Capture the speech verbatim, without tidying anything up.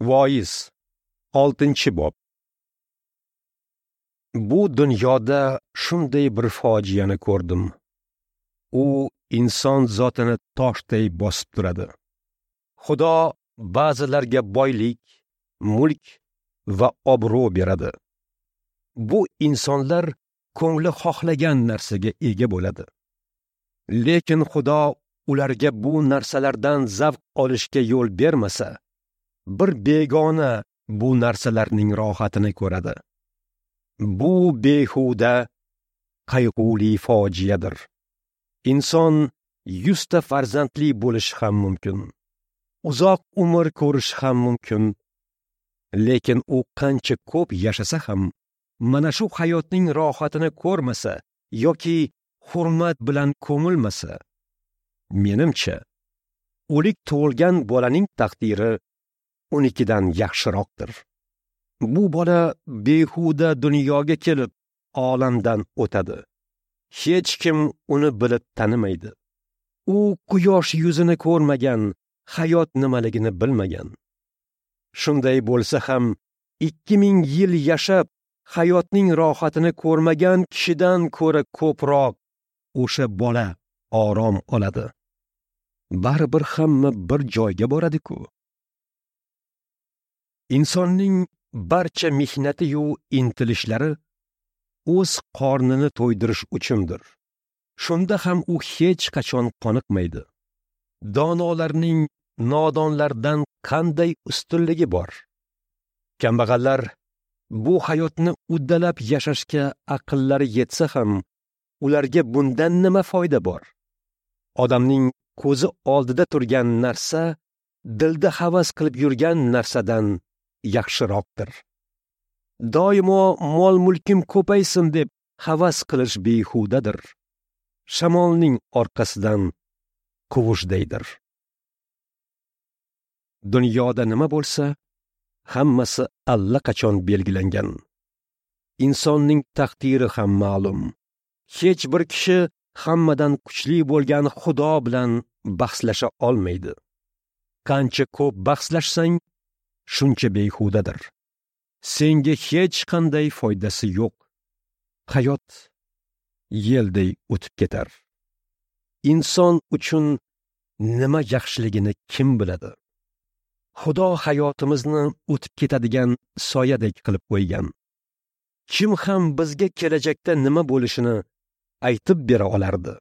Voiz, oltinchi bob. Bu dunyoda shunday bir fojiani ko'rdim. U inson zotini toshday bosib turadi. Xudo ba'zilarga boylik, mulk va obro' beradi. Bu insonlar ko'ngli xohlagan narsaga ega bo'ladi. Lekin Xudo ularga bu narsalardan zavq olishga yo'l bermasa, bir begona bu narsalarning rohatini ko'radi. Bu behuda, qayg'uli fojiadir. Inson yuzta farzandli bo'lishi ham mumkin, uzoq umr ko'rishi ham mumkin, lekin u qancha ko'p yashasa ham mana shu hayotning rohatini ko'rmasa yoki hurmat bilan ko'milmasa, menimcha, o'lik tug'ilgan bolaning taqdiri unikidan yaxshiroqdir. Bu bola behuda dunyoga kelib olamdan o'tadi. Hech kim uni bilib tanimaydi. U quyosh yuzini ko'rmagan, hayot nimaligini bilmagan. Shunday bo'lsa ham ikki ming yil yashab hayotning rohatini ko'rmagan kishidan ko'ra ko'proq o'sha bola orom oladi. Baribir hamma bir joyga boradi-ku. Insonning barcha mehnati-yu intilishlari o'z qornini to'ydirish uchundir. Shunda ham u hech qachon qoniqmaydi. Donolarning nodonlardan qanday ustunligi bor? Kambag'allar bu hayotni uddalab yashashga aqllari yetsa ham, ularga bundan nima foyda bor? Odamning ko'zi oldida turgan narsa dilda havas qilib yurgan narsadan yaxshiroqdir. Doimo mol-mulkim ko'paysin deb havas qilish behudadir. Shamolning orqasidan quvishdaydir. Dunyoda nima bo'lsa, hammasi allaqachon belgilangan. Insonning taqdiri ham ma'lum. Hech bir kishi hammadan kuchli bo'lgan Xudo bilan bahslasha olmaydi. Qancha ko'p bahslashsang, shuncha behudadir. Senga hech qanday foydasi yo'q. Hayot yelday o'tib ketar. Inson uchun nima yaxshiligini kim biladi? Xudo hayotimizni o'tib ketadigan soyadek qilib qo'ygan. Kim ham bizga kelajakda nima bo'lishini aytib bera olardi?